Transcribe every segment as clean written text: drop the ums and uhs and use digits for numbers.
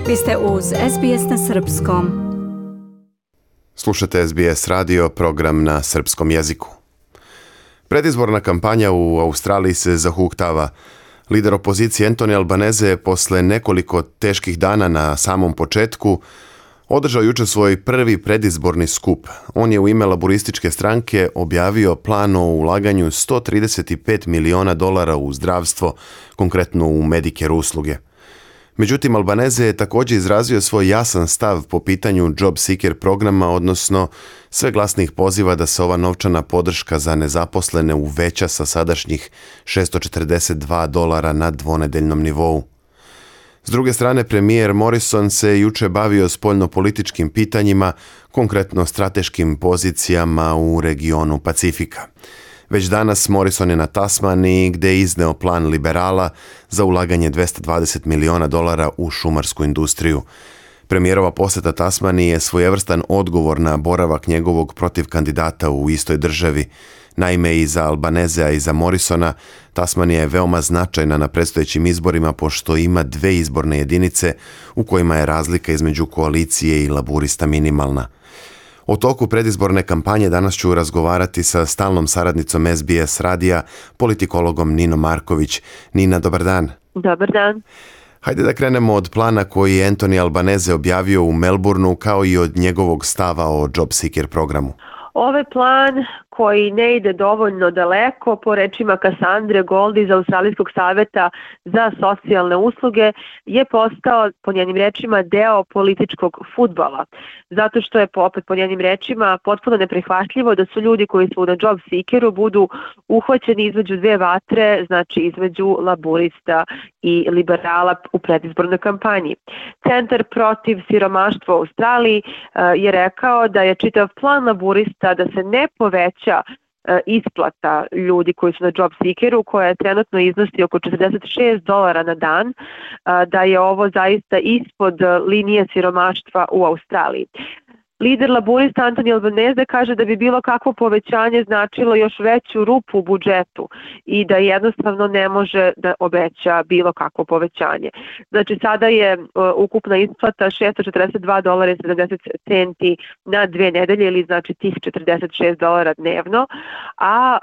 Vi ste uz SBS na Srpskom. Slušate SBS radio, program na srpskom jeziku. Predizborna kampanja u Australiji se zahuktava. Lider opozicije Anthony Albanese posle nekoliko teških dana na samom početku održao jučer svoj prvi predizborni skup. On je u ime laburističke stranke objavio plan o ulaganju $135 miliona u zdravstvo, konkretno u Medicare usluge. Međutim, Albanese je također izrazio svoj jasan stav po pitanju Job Seeker programa, odnosno sve glasnih poziva da se ova novčana podrška za nezaposlene uveća sa sadašnjih $642 na dvonedeljnom nivou. S druge strane, premijer Morrison se juče bavio spoljnopolitičkim pitanjima, konkretno strateškim pozicijama u regionu Pacifika. Već danas Morrison je na Tasmaniji gdje je izneo plan liberala za ulaganje $220 miliona u šumarsku industriju. Premijerova posjeta Tasmaniji je svojevrstan odgovor na boravak njegovog protivkandidata u istoj državi. Naime, i za Albanesea i za Morrisona Tasmanija je veoma značajna na predstojećim izborima pošto ima dve izborne jedinice u kojima je razlika između koalicije i laburista minimalna. O toku predizborne kampanje danas ću razgovarati sa stalnom saradnicom SBS radija, politikologom Ninom Marković. Nina, dobar dan. Dobar dan. Hajde da krenemo od plana koji je Anthony Albanese objavio u Melbourneu, kao i od njegovog stava o Job Seeker programu. Ovaj plan koji ne ide dovoljno daleko, po rečima Cassandre Gold iz Australijskog savjeta za socijalne usluge, je postao, po njenim rečima, deo političkog fudbala. Zato što je, opet po njenim rečima, potpuno neprihvatljivo da su ljudi koji su na Job Seekeru budu uhvaćeni između dve vatre, znači između laburista i liberala u predizbornoj kampanji. Centar protiv siromaštva u Australiji je rekao da je čitav plan laburista da se ne poveća isplata ljudi koji su na Job Seekeru, koja trenutno iznosi oko $46 na dan, da je ovo zaista ispod linije siromaštva u Australiji. Lider laburista Anthony Albanese kaže da bi bilo kakvo povećanje značilo još veću rupu u budžetu i da jednostavno ne može da obeća bilo kakvo povećanje. Znači sada je ukupna isplata $642.70 na 2 nedelje ili znači tih $46 dnevno, a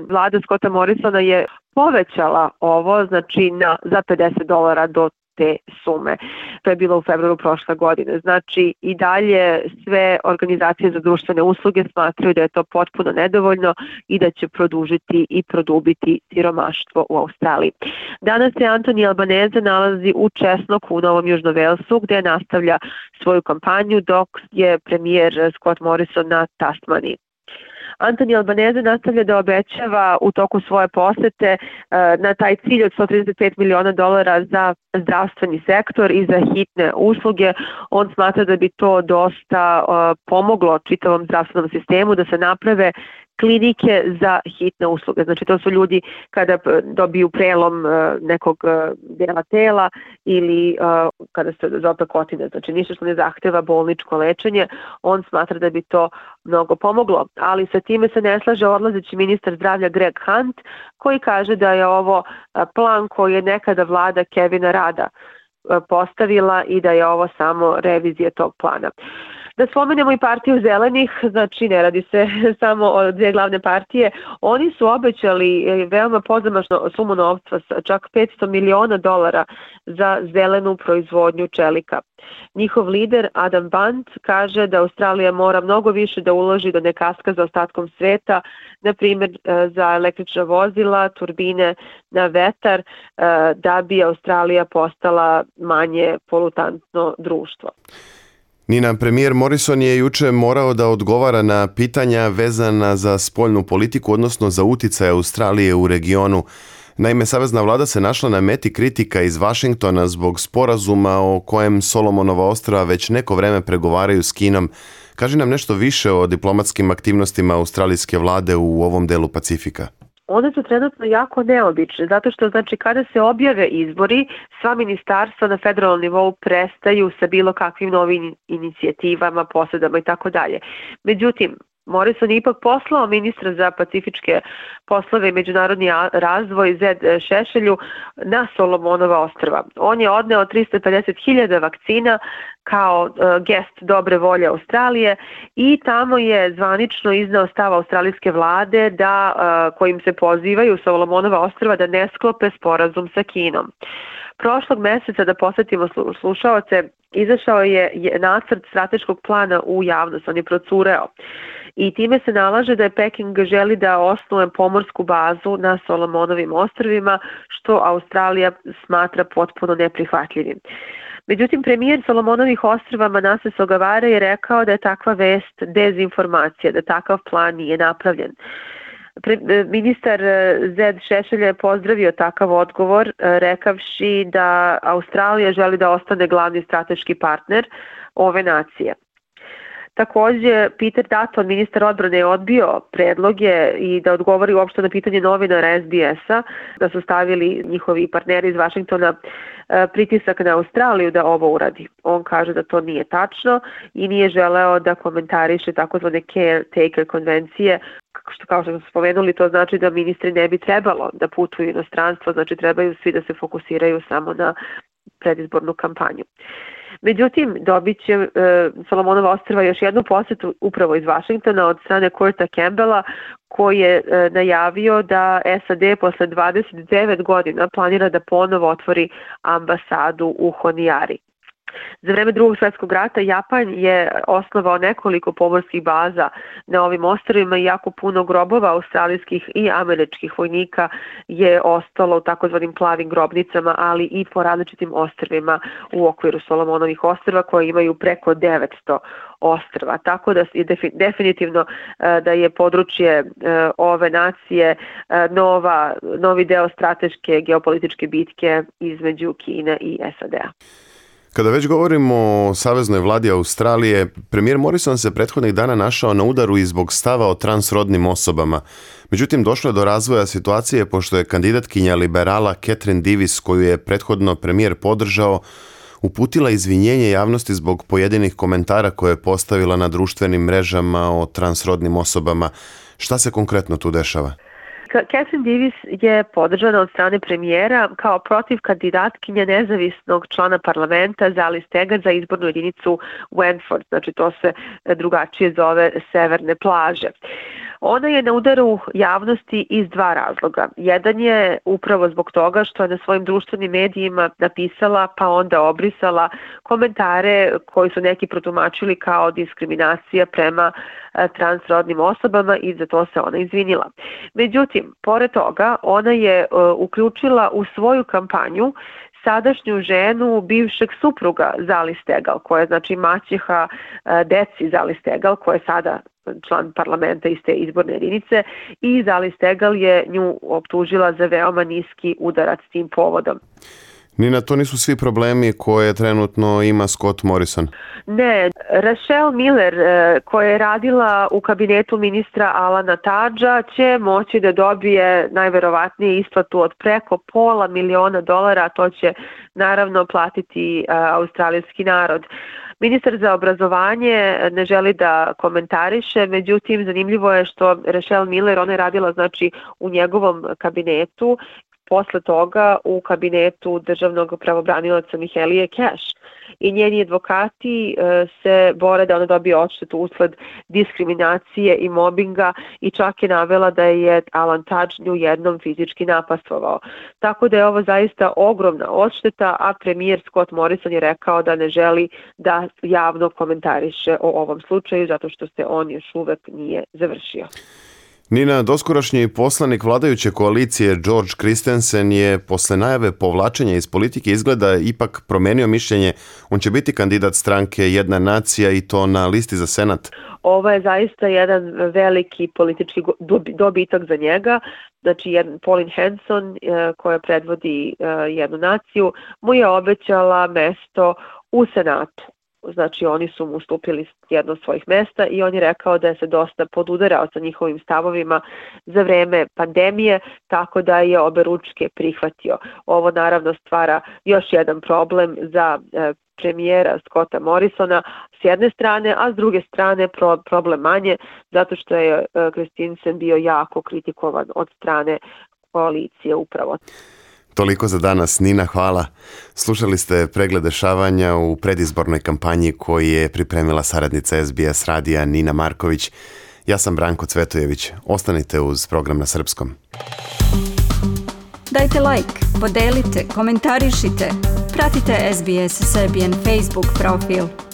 vlada Scotta Morrisona je povećala ovo znači za $50 do te sume. To je bilo u februaru prošle godine. Znači i dalje sve organizacije za društvene usluge smatraju da je to potpuno nedovoljno i da će produžiti i produbiti siromaštvo u Australiji. Danas se Anthony Albanese nalazi u Česnoku u Novom Južnom Velsu gdje nastavlja svoju kampanju dok je premijer Scott Morrison na Tasmaniji. Anthony Albanese nastavlja da obećava u toku svoje posete na taj cilj od $135 miliona za zdravstveni sektor i za hitne usluge. On smatra da bi to dosta pomoglo čitavom zdravstvenom sistemu da se naprave klinike za hitne usluge. Znači to su ljudi kada dobiju prelom nekog dela tela ili kada se zope kotine, znači ništa što ne zahteva bolničko lečenje, on smatra da bi to mnogo pomoglo. Ali sa time se ne slaže odlazeći ministar zdravlja Greg Hunt koji kaže da je ovo plan koji je nekada vlada Kevina Rada postavila i da je ovo samo revizija tog plana. Da spomenemo i partiju zelenih, znači ne radi se samo o dvije glavne partije, oni su obećali veoma pozamašnu sumu novca, čak $500 miliona za zelenu proizvodnju čelika. Njihov lider Adam Bant kaže da Australija mora mnogo više da uloži da ne kaska za ostatkom sveta, na primjer za električna vozila, turbine na vetar, da bi Australija postala manje polutantno društvo. Nina, premijer Morrison je juče morao da odgovara na pitanja vezana za spoljnu politiku, odnosno za uticaj Australije u regionu. Naime, savezna vlada se našla na meti kritika iz Vašingtona zbog sporazuma o kojem Solomonova ostrva već neko vreme pregovaraju s Kinom. Kaži nam nešto više o diplomatskim aktivnostima australijske vlade u ovom delu Pacifika. One su trenutno jako neobične, zato što znači kada se objave izbori, sva ministarstva na federalnom nivou prestaju sa bilo kakvim novim inicijativama, posjedama i tako dalje. Međutim, Morrison je ipak poslao ministra za pacifičke poslove i međunarodni razvoj Zed Šešelju na Solomonova ostrva. On je odneo 350.000 vakcina kao gest dobre volje Australije i tamo je zvanično izneo stav australijske vlade kojim se pozivaju Solomonova ostrva da ne sklope sporazum sa Kinom. Prošlog meseca, da posjetimo slušaoce, izašao je nacrt strateškog plana u javnost, on je procureo. I time se nalaže da je Peking želi da osnuje pomorsku bazu na Solomonovim ostrvima, što Australija smatra potpuno neprihvatljivim. Međutim, premijer Solomonovih ostrva Manasseh Sogavare je rekao da je takva vest dezinformacija, da takav plan nije napravljen. Ministar Zed Šešelj je pozdravio takav odgovor, rekavši da Australija želi da ostane glavni strateški partner ove nacije. Također, Peter Dutton, ministar odbrane, je odbio predloge i da odgovori uopšte na pitanje novinara SBS-a, da su stavili njihovi partneri iz Vašingtona pritisak na Australiju da ovo uradi. On kaže da to nije tačno i nije želeo da komentariše takozvane caretaker konvencije, što kao što smo spomenuli, to znači da ministri ne bi trebalo da putuju u inostranstvo, znači trebaju svi da se fokusiraju samo na predizbornu kampanju. Međutim, dobit će Solomonova ostrva još jednu posjetu upravo iz Vašingtona od strane Kurta Campbella, koji je najavio da SAD posle 29 godina planira da ponovo otvori ambasadu u Honiari. Za vreme Drugog svjetskog rata Japan je osnovao nekoliko pomorskih baza na ovim ostrvima i jako puno grobova australijskih i američkih vojnika je ostalo u takozvanim plavim grobnicama, ali i po različitim ostrvima u okviru Solomonovih ostrva koji imaju preko 900 ostrva. Tako da je definitivno da je područje ove nacije novi deo strateške geopolitičke bitke između Kine i SAD-a. Kada već govorimo o saveznoj vladi Australije, premijer Morrison se prethodnih dana našao na udaru i zbog stava o transrodnim osobama. Međutim, došlo je do razvoja situacije pošto je kandidatkinja liberala Catherine Davis, koju je prethodno premijer podržao, uputila izvinjenje javnosti zbog pojedinih komentara koje je postavila na društvenim mrežama o transrodnim osobama. Šta se konkretno tu dešava? Catherine Davis je podržana od strane premijera kao protiv kandidatkinje nezavisnog člana parlamenta Zali Steggart za izbornu jedinicu Wentworth, znači to se drugačije zove Severne plaže. Ona je na udaru javnosti iz dva razloga. Jedan je upravo zbog toga što je na svojim društvenim medijima napisala pa onda obrisala komentare koji su neki protumačili kao diskriminacija prema transrodnim osobama i za to se ona izvinila. Međutim, pored toga, ona je uključila u svoju kampanju sadašnju ženu bivšeg supruga Zali Steggall, koja je znači maćeha deci Zali Steggall, koja je sada član parlamenta iz te izborne jedinice, i Zali Steggall je nju optužila za veoma niski udarac tim povodom. Nina, to nisu svi problemi koje trenutno ima Scott Morrison. Ne, Rachelle Miller, koja je radila u kabinetu ministra Alana Tudgea, će moći da dobije najverovatnije isplatu od preko $500.000, a to će naravno platiti australijski narod. Ministar za obrazovanje ne želi da komentariše, međutim zanimljivo je što Rachelle Miller, ona je radila znači u njegovom kabinetu, posle toga u kabinetu državnog pravobranilaca Mihaelije Cash. I njeni advokati se bore da ona dobije odštetu usled diskriminacije i mobinga i čak je navela da je Alan Tudge nju jednom fizički napastvovao. Tako da je ovo zaista ogromna odšteta, a premijer Scott Morrison je rekao da ne želi da javno komentariše o ovom slučaju zato što se on još uvek nije završio. Nina, doskorašnji poslanik vladajuće koalicije George Christensen je posle najave povlačenja iz politike izgleda ipak promenio mišljenje. On će biti kandidat stranke Jedna nacija i to na listi za senat. Ovo je zaista jedan veliki politički dobitak za njega. Znači, Pauline Hanson, koja predvodi Jednu naciju, mu je obećala mesto u senatu. Znači oni su mu ustupili jedno od svojih mesta i on je rekao da je se dosta podudarao sa njihovim stavovima za vreme pandemije, tako da je obe ručke prihvatio. Ovo naravno stvara još jedan problem za premijera Scotta Morrisona s jedne strane, a s druge strane problem manje, zato što je Christensen bio jako kritikovan od strane koalicije upravo. Toliko za danas. Nina, hvala. Slušali ste pregled dešavanja u predizbornoj kampanji koju je pripremila saradnica SBS radija Nina Marković. Ja sam Branko Cvetojević. Ostanite uz program na srpskom. Dajte like, podelite, komentarišite. Pratite SBS Serbian Facebook profil.